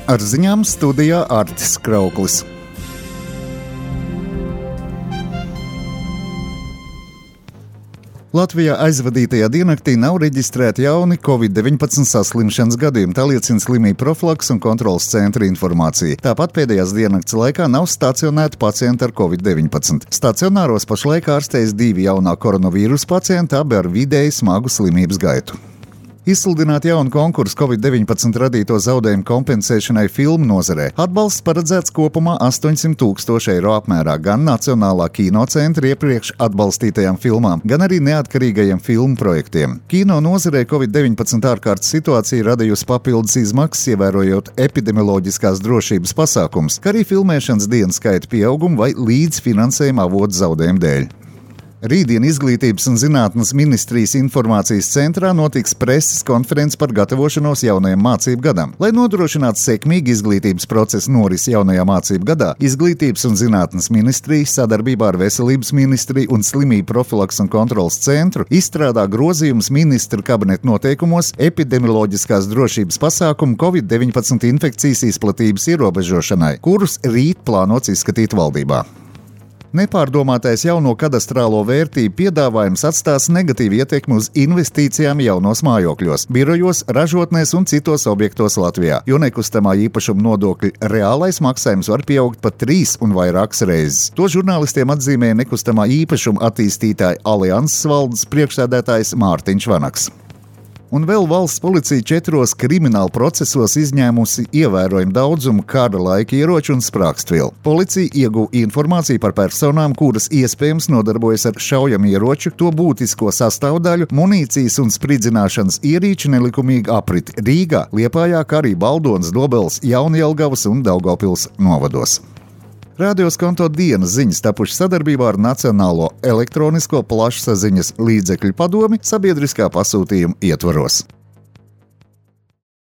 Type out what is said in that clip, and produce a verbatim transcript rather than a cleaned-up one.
Ar ziņām studijā Artis Krauklis. Latvijā aizvadītajā diennaktī nav reģistrēti jauni covid deviņpadsmit saslimšanas gadījumi, tā liecina slimību profilakses un kontroles centra informācija. Tāpat pēdējās diennakts laikā nav stacionēti pacienti ar covid deviņpadsmit. Stacionāros pašlaik ārstējas divi jaunā koronavīrusa pacienti, abi ar vidēji smagu slimības gaitu. Izsludināt jaunu konkursu covid deviņpadsmit radīto zaudējumu kompensēšanai filmu nozarē. Atbalsts paredzēts kopumā astoņsimt tūkstoši eiro apmērā gan Nacionālā kinocentra iepriekš atbalstītajām filmām, gan arī neatkarīgajiem filmu projektiem. Kino nozarē covid deviņpadsmit ārkārtas situācija radījusi papildus izmaksas, ievērojot epidemioloģiskās drošības pasākums, kā arī filmēšanas dienu skaita pieaugumu vai līdzfinansējuma avotu zaudējumu dēļ. Rītdien Izglītības un zinātnes ministrijas informācijas centrā notiks preses konferences par gatavošanos jaunajam mācību gadam. Lai nodrošinātu sekmīgu izglītības procesu norisi jaunajā mācību gadā, Izglītības un zinātnes ministrija sadarbībā ar Veselības ministriju un Slimību profilakses un kontroles centru izstrādā grozījumus ministra kabineta noteikumos epidemioloģiskās drošības pasākumu covid deviņpadsmit infekcijas izplatības ierobežošanai, kurus rīt plānots izskatīt valdībā. Nepārdomātais jauno kadastrālo vērtību piedāvājums atstās negatīvu ietekmi uz investīcijām jaunos mājokļos, birojos, ražotnēs un citos objektos Latvijā, jo nekustamā īpašuma nodokļa reālais maksājums var pieaugt pat trīs un vairākas reizes. To žurnālistiem atzīmēja nekustamā īpašuma attīstītāja Alianses valdes priekšsēdētājs Mārtiņš Vanaks. Un vēl valsts policija četros krimināla procesos izņēmusi ievērojumu daudzumu kara laika ieroču un sprākstvielu. Policija ieguva informāciju par personām, kuras iespējams nodarbojas ar šaujamieroču, to būtisko sastāvdaļu, munīcijas un spridzināšanas ierīču nelikumīgu apriti Rīgā, Liepājā, kā arī Baldonas, Dobeles, Jaunjelgavas un Daugavpils novados. Rādios Konto dienas ziņas tapušas sadarbībā ar Nacionālo elektronisko plašsaziņas līdzekļu padomi sabiedriskā pasūtījuma ietvaros.